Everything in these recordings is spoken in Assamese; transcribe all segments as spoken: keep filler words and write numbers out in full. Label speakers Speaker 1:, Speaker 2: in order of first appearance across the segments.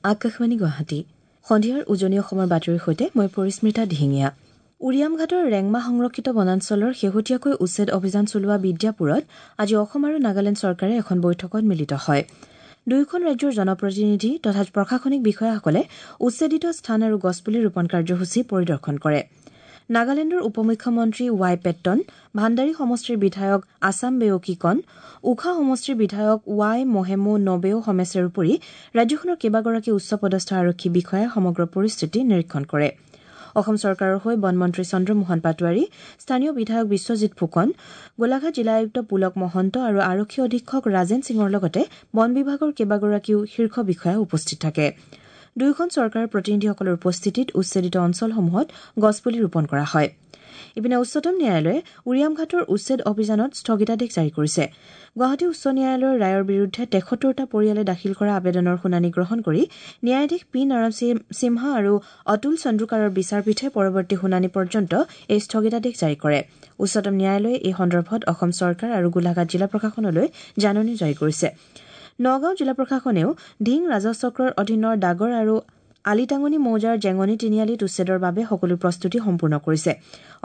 Speaker 1: আকাশবাণী গুৱাহাটী সন্ধিয়াৰ উজনি অসমৰ বাতৰিৰ সৈতে মই পৰিস্মিতা দিহিঙীয়া। উৰিয়ামঘাটৰ ৰেংমা সংৰক্ষিত বনাঞ্চলৰ শেহতীয়াকৈ উচ্ছেদ অভিযান চলোৱা বিদ্যাপুৰত আজি অসম আৰু নাগালেণ্ড চৰকাৰে এখন বৈঠকত মিলিত হয়। দুয়োখন ৰাজ্যৰ জনপ্ৰতিনিধি তথা প্ৰশাসনিক বিষয়াসকলে উচ্ছেদিত স্থান আৰু গছপুলি ৰোপণ কাৰ্যসূচী পৰিদৰ্শন কৰে। নাগালেণ্ডৰ উপ মুখ্যমন্ত্ৰী ৱাই পেট্টন, ভাণ্ডাৰী সমষ্টিৰ বিধায়ক আছাম বেওকিকন, উখা সমষ্টিৰ বিধায়ক ৱাই মহেমো নবেও সমেছেৰ উপৰি ৰাজ্যখনৰ কেইবাগৰাকী উচ্চপদস্থ আৰক্ষী বিষয়াই সমগ্ৰ পৰিস্থিতি নিৰীক্ষণ কৰে। অসম চৰকাৰৰ হৈ বনমন্ত্ৰী চন্দ্ৰমোহন পাটোৱাৰী, স্থানীয় বিধায়ক বিশ্বজিৎ ফুকন, গোলাঘাট জিলা আয়ুক্ত পুলক মহন্ত আৰু আৰক্ষী অধীক্ষক ৰাজেন সিঙৰ লগতে বন বিভাগৰ কেইবাগৰাকীও শীৰ্ষ বিষয়া উপস্থিত থাকে। দুয়োখন চৰকাৰৰ প্ৰতিনিধিসকলৰ উপস্থিতিত উচ্ছেদিত অঞ্চলসমূহত গছপুলি ৰোপণ কৰা হয়। ইপিনে উচ্চতম ন্যায়ালয়ে উৰিয়ামঘাটৰ উচ্ছেদ অভিযানত স্থগিতাদেশ জাৰি কৰিছে। গুৱাহাটী উচ্চ ন্যায়ালয়ৰ ৰায়ৰ বিৰুদ্ধে তেসত্তৰটা পৰিয়ালে দাখিল কৰা আবেদনৰ শুনানি গ্ৰহণ কৰি ন্যায়াধীশ পি নৰসিমহা আৰু অতুল চন্দ্ৰকাৰৰ বিচাৰপীঠে পৰৱৰ্তী শুনানি পৰ্যন্ত এই স্থগিতাদেশ জাৰি কৰে। উচ্চতম ন্যায়ালয়ে এই সন্দৰ্ভত অসম চৰকাৰ আৰু গোলাঘাট জিলা প্ৰশাসনলৈ জাননী জাৰি কৰিছে। নগাঁও জিলা প্ৰশাসনেও ধিং ৰাজহ চক্ৰৰ অধীনৰ ডাগৰ আৰু আলিটাঙনি মৌজাৰ জেঙনি তিনিআলিত উচ্ছেদৰ বাবে সকলো প্ৰস্তুতি সম্পূৰ্ণ কৰিছে।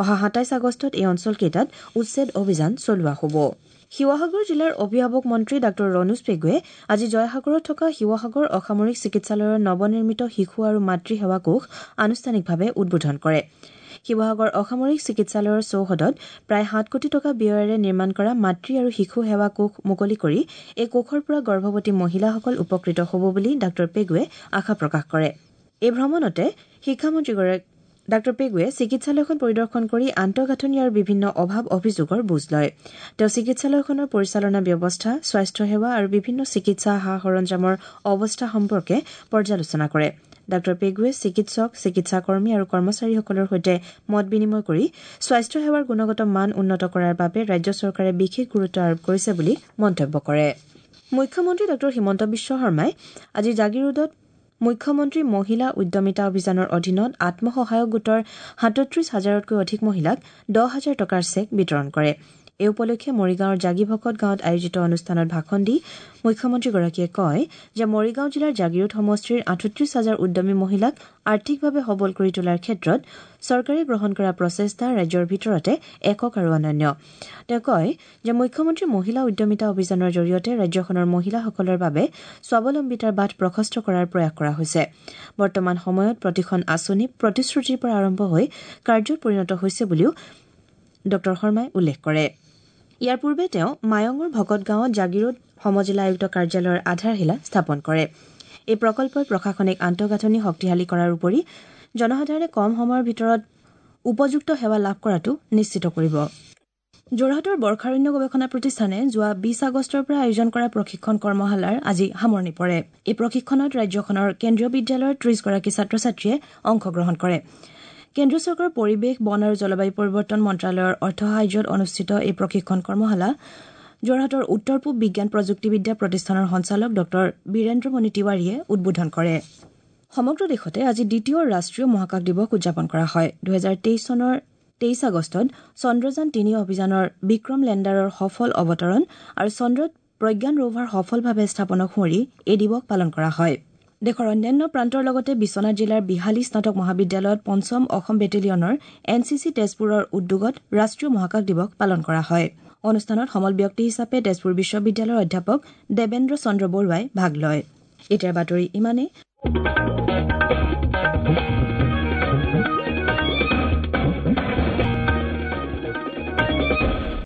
Speaker 1: অহা সাতাইছ আগষ্টত এই অঞ্চলকেইটাত উচ্ছেদ অভিযান চলোৱা হ'ব। শিৱসাগৰ জিলাৰ অভিভাৱক মন্ত্ৰী ডাঃ ৰণোজ পেগুৱে আজি জয়সাগৰত থকা শিৱসাগৰ অসামৰিক চিকিৎসালয়ৰ নৱনিৰ্মিত শিশু আৰু মাতৃ সেৱা কোষ আনুষ্ঠানিকভাৱে উদ্বোধন কৰে। শিৱসাগৰ অসামৰিক চিকিৎসালয়ৰ চৌহদত প্ৰায় সাত কোটি টকা ব্যয়েৰে নিৰ্মাণ কৰা মাতৃ আৰু শিশু সেৱা কোষ মুকলি কৰি এই কোষৰ পৰা গৰ্ভৱতী মহিলাসকল উপকৃত হ'ব বুলি ডাঃ পেগুৱে আশা প্ৰকাশ কৰে। এই ভ্ৰমণতে শিক্ষামন্ত্ৰীগৰাকী ডাঃ পেগুৱে চিকিৎসালয়খন পৰিদৰ্শন কৰি আন্তঃগাঁথনি আৰু বিভিন্ন অভাৱ অভিযোগৰ বুজ লয়। তেওঁ চিকিৎসালয়খনৰ পৰিচালনা ব্যৱস্থা, স্বাস্থ্যসেৱা আৰু বিভিন্ন চিকিৎসা সা সৰঞ্জামৰ অৱস্থা সম্পৰ্কে পৰ্যালোচনা কৰে। ডাঃ পেগুৱে চিকিৎসক, চিকিৎসাকৰ্মী আৰু কৰ্মচাৰীসকলৰ সৈতে মত বিনিময় কৰি স্বাস্থ্যসেৱাৰ গুণগত মান উন্নত কৰাৰ বাবে ৰাজ্য চৰকাৰে বিশেষ গুৰুত্ব আৰোপ কৰিছে বুলি মন্তব্য কৰে। মুখ্যমন্ত্ৰী ডাঃ হিমন্ত বিশ্ব শৰ্মাই আজি জাগীৰোডত মুখ্যমন্ত্ৰী মহিলা উদ্যমিতা অভিযানৰ অধীনত আত্মসহায়ক গোটৰ সাতত্ৰিশ হাজাৰতকৈ অধিক মহিলাক দহ হাজাৰ টকাৰ চেক বিতৰণ কৰে। এই উপলক্ষে মৰিগাঁৱৰ জাগীভকত গাঁৱত আয়োজিত অনুষ্ঠানত ভাষণ দি মুখ্যমন্ত্ৰীগৰাকীয়ে কয় যে মৰিগাঁও জিলাৰ জাগীৰোড সমষ্টিৰ আঠত্ৰিশ হাজাৰ উদ্যমী মহিলাক আৰ্থিকভাৱে সবল কৰি তোলাৰ ক্ষেত্ৰত চৰকাৰে গ্ৰহণ কৰা প্ৰচেষ্টা ৰাজ্যৰ ভিতৰতে একক আৰু অনন্য। তেওঁ কয় যে মুখ্যমন্ত্ৰী মহিলা উদ্যমিতা অভিযানৰ জৰিয়তে ৰাজ্যখনৰ মহিলাসকলৰ বাবে স্বাৱলম্বিতাৰ বাট প্ৰশস্ত কৰাৰ প্ৰয়াস কৰা হৈছে। বৰ্তমান সময়ত প্ৰতিখন আঁচনি প্ৰতিশ্ৰুতিৰ পৰা আৰম্ভ হৈ কাৰ্যত পৰিণত হৈছে বুলিও ডাঃ শৰ্মাই উল্লেখ কৰে। ইয়াৰ পূৰ্বে তেওঁ মায়ঙৰ ভকত গাঁৱত জাগীৰোড সমজিলা আয়ুক্ত কাৰ্যালয়ৰ আধাৰশিলা স্থাপন কৰে। এই প্ৰকল্পই প্ৰশাসনিক আন্তঃগাঁথনি শক্তিশালী কৰাৰ উপৰি জনসাধাৰণে কম সময়ৰ ভিতৰত উপযুক্ত সেৱা লাভ কৰাটো নিশ্চিত কৰিব। যোৰহাটৰ বৰ্ষাৰণ্য গৱেষণা প্ৰতিষ্ঠানে যোৱা বিশ আগষ্টৰ পৰা আয়োজন কৰা প্ৰশিক্ষণ কৰ্মশালাৰ আজি সামৰণি পৰে। এই প্ৰশিক্ষণত ৰাজ্যখনৰ কেন্দ্ৰীয় বিদ্যালয়ৰ ত্ৰিশগৰাকী ছাত্ৰ ছাত্ৰীয়ে অংশগ্ৰহণ কৰে। কেন্দ্ৰীয় চৰকাৰৰ পৰিৱেশ, বন আৰু জলবায়ু পৰিৱৰ্তন মন্ত্ৰালয়ৰ অৰ্থ সাহায্যত অনুষ্ঠিত এই প্ৰশিক্ষণ কৰ্মশালা যোৰহাটৰ উত্তৰ পূব বিজ্ঞান প্ৰযুক্তিবিদ্যা প্ৰতিষ্ঠানৰ সঞ্চালক ডাঃ বীৰেন্দ্ৰমণি তিৱাৰীয়ে উদ্বোধন কৰে। সমগ্ৰ দেশতে আজি দ্বিতীয় ৰাষ্ট্ৰীয় মহাকাশ দিৱস উদযাপন কৰা হয়। দুহেজাৰ তেইছ চনৰ তেইছ আগষ্টত চন্দ্ৰযান তিনি অভিযানৰ বিক্ৰম লেণ্ডাৰৰ সফল অৱতৰণ আৰু চন্দ্ৰত প্ৰজ্ঞান ৰোভাৰ সফলভাৱে স্থাপনক সুঁৱৰি এই দিৱস পালন কৰা হয়। দেশৰ অন্যান্য প্ৰান্তৰ লগতে বিশ্বনাথ জিলাৰ বিহালী স্নাতক মহাবিদ্যালয়ত পঞ্চম অসম বেটেলিয়নৰ এন চি চি তেজপুৰৰ উদ্যোগত ৰাষ্ট্ৰীয় মহাকাশ দিৱস পালন কৰা হয়। অনুষ্ঠানত সমল ব্যক্তি হিচাপে তেজপুৰ বিশ্ববিদ্যালয়ৰ অধ্যাপক দেৱেন্দ্ৰ চন্দ্ৰ বৰুৱাই ভাগ লয়। এতিয়াৰ বাতৰি ইমানেই।